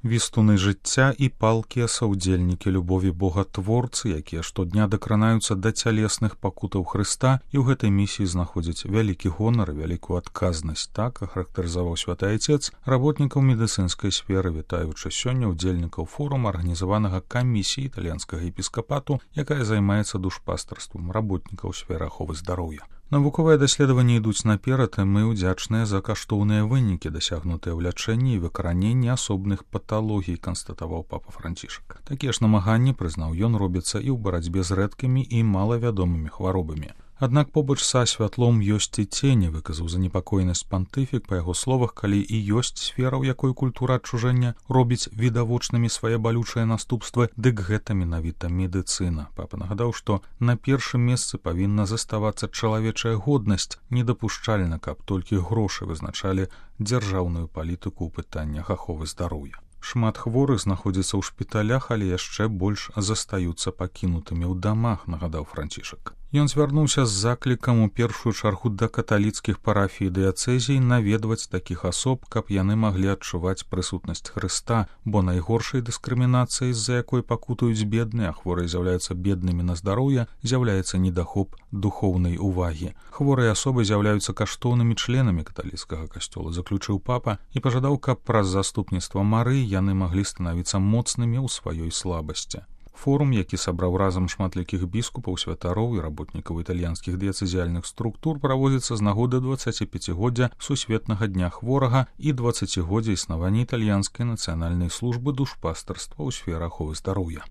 Вістуны жыцця і палкія саўдзельнікі любові богатворцы, якія штодня дакранаюцца да цялесных пакутаў Хрыста і ў гэтай місіі знаходзяць вялікі гонар і вялікую адказнасць. Так ахарактарызаваў святы айцец работнікаў медыцынскай сферы, вітаючы сёння удзельнікаў форума, арганізаванага камісіяй італьянскага епіскапату, якая займаецца душпастарствам работнікаў сферы аховы здароўя. Навуковыя даследаванні ідуць наперад, і мы ўдзячныя за каштоўныя вынікі, дасягнутыя ў лячэнні і выкараненні асобных паталогій, канстатаваў папа Францішак. Такія ж намаганні, прызнаў ён, робяцца і ў барацьбе з рэдкімі і малавядомымі хваробамі. Аднак побач са святлом ёсць і цені, выказаў занепакоенасць пантыфік, па яго словах, калі і ёсць сфера, у якой культура адчужэння робіць відавочнымі свае балючыя наступствы, дык гэта менавіта медыцына. Папа нагадаў, што на першым месцы павінна заставацца чалавечая годнасць, недапушчальна, каб толькі грошы вызначалі дзяржаўную палітыку ў пытаннях аховы здароўя. Шмат хворых знаходзіцца ў шпіталях, але яшчэ больш застаюцца пакінутымі ў дамах, нагадаў Францішак. Ён звярнуўся з заклікам у першую чаргу да каталіцкіх парафій дыяцэзій наведваць такіх асоб, каб яны маглі адчуваць прысутнасць Хрыста, бо найгоршай дыскрымінацыяй, з-за якой пакутаюць бедныя, а хворыя з'яўляюцца беднымі на здароўе, з'яўляецца недахоп духоўнай увагі. Хворыя асобы з'яўляюцца каштоўнымі членамі каталіцкага касцёла, заключыў папа, і пажадаў, каб праз заступніцтва Марыі яны маглі станавіцца моцнымі ў сваёй слабасці. Форум, які сабраў разам шматлікіх біскупаў, святароў і работнікаў італьянскіх дыяцэзіяльных структур, праводзіцца з нагоды 25годдзя сусветнага дня хворага і 20годдзя існавання італьянскай нацыянальнай службы душпастарства ў сферы аховы здароўя.